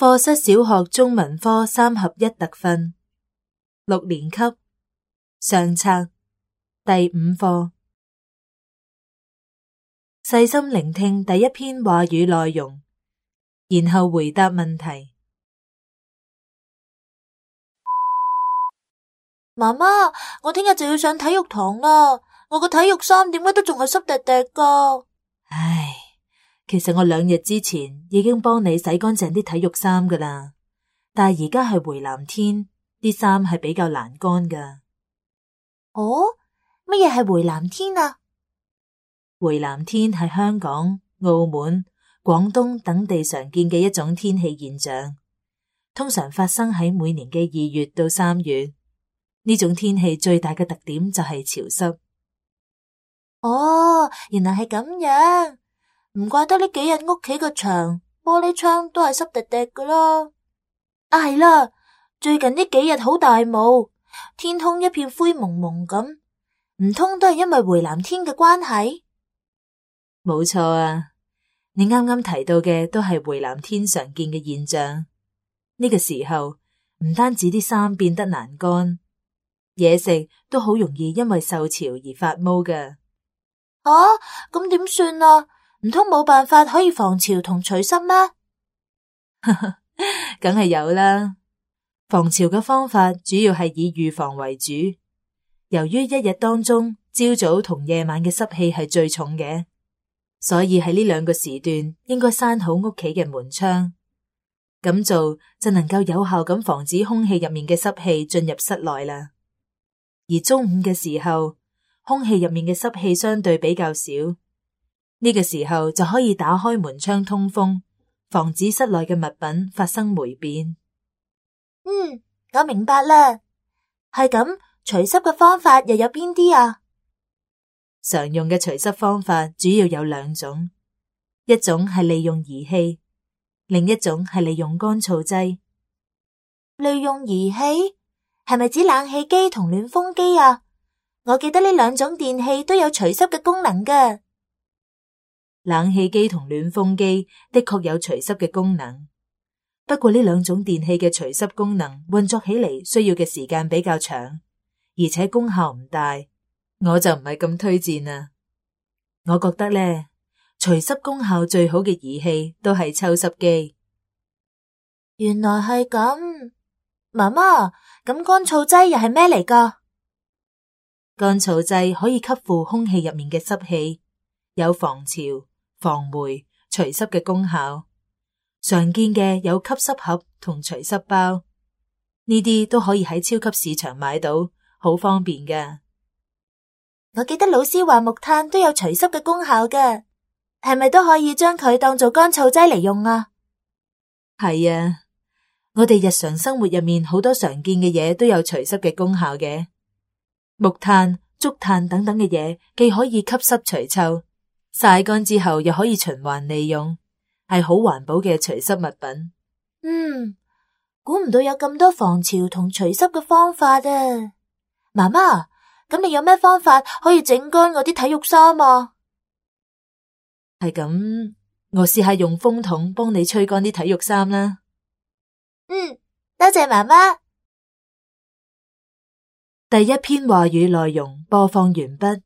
課室小學中文科3合1特訓6年級上冊第5課。細心聆聽第一篇話語內容，然後回答問題。媽媽，我聽日就要上體育堂啦，我個體育衫點解都仲係濕滴滴㗎？唉，其實我2日之前已經幫你洗乾淨啲體育衫㗎啦，但係而家係回南天，啲衫係比較難乾㗎。哦，乜嘢係回南天啊？回南天係香港、澳門、廣東等地常見嘅一種天氣現象，通常發生喺每年嘅2月到3月。呢種天氣最大嘅特點就係潮濕。哦，原來係咁樣，唔怪得呢幾日屋企個牆、玻璃窗都係濕滴滴㗎啦。啊，係啦，最近呢幾日好大霧，天空一片灰蒙蒙咁，唔通都係因為回南天嘅關係？冇錯啊，你啱啱提到嘅都係回南天常見嘅現象。呢個時候唔單止啲衫變得難乾，嘢食都好容易因為受潮而發毛㗎。咁點算啊？唔通冇辦法可以防潮同除濕咩？梗係有啦。防潮嘅方法主要係以預防為主。由於一日當中朝早同夜晚嘅濕氣係最重嘅，所以喺呢2個時段應該閂好屋企嘅門窗。咁做就能夠有效咁防止空氣入面嘅濕氣進入室內啦。而中午嘅時候，空氣入面嘅濕氣相對比較少，呢個時候就可以打開門窗通風，防止室內嘅物品發生霉變。我明白啦。係咁，除濕嘅方法又有邊啲啊？常用嘅除濕方法主要有2種，一種係利用儀器，另一種係利用乾燥劑。利用儀器係咪指冷氣機同暖風機啊？我記得呢2種電器都有除濕嘅功能㗎。冷氣機同暖風機的確有除濕嘅功能，不過呢2種電器嘅除濕功能運作起嚟需要嘅時間比較長，而且功效唔大，我就唔係咁推薦啦。我覺得呢，除濕功效最好嘅儀器都係抽濕機。原來係咁。媽媽，咁乾燥劑又係咩嚟㗎？乾燥劑可以吸附空氣入面嘅濕氣，有防潮、防霉、除濕嘅功效。常見嘅有吸濕盒同除濕包，呢啲都可以喺超級市場買到，好方便㗎。我記得老師話木炭都有除濕嘅功效㗎，係咪都可以將佢當做乾燥劑嚟用啊？係啊，我哋日常生活入面好多常見嘅嘢都有除濕嘅功效嘅。木炭、竹炭等等嘅嘢，既可以吸濕除臭，曬乾之後又可以循環利用，係好環保嘅除濕物品。估唔到有咁多防潮同除濕嘅方法啊！媽媽，咁你有咩方法可以整乾我啲體育衫啊？係咁，我試下用風筒幫你吹乾啲體育衫啦。多謝媽媽。第一篇話語內容播放完畢。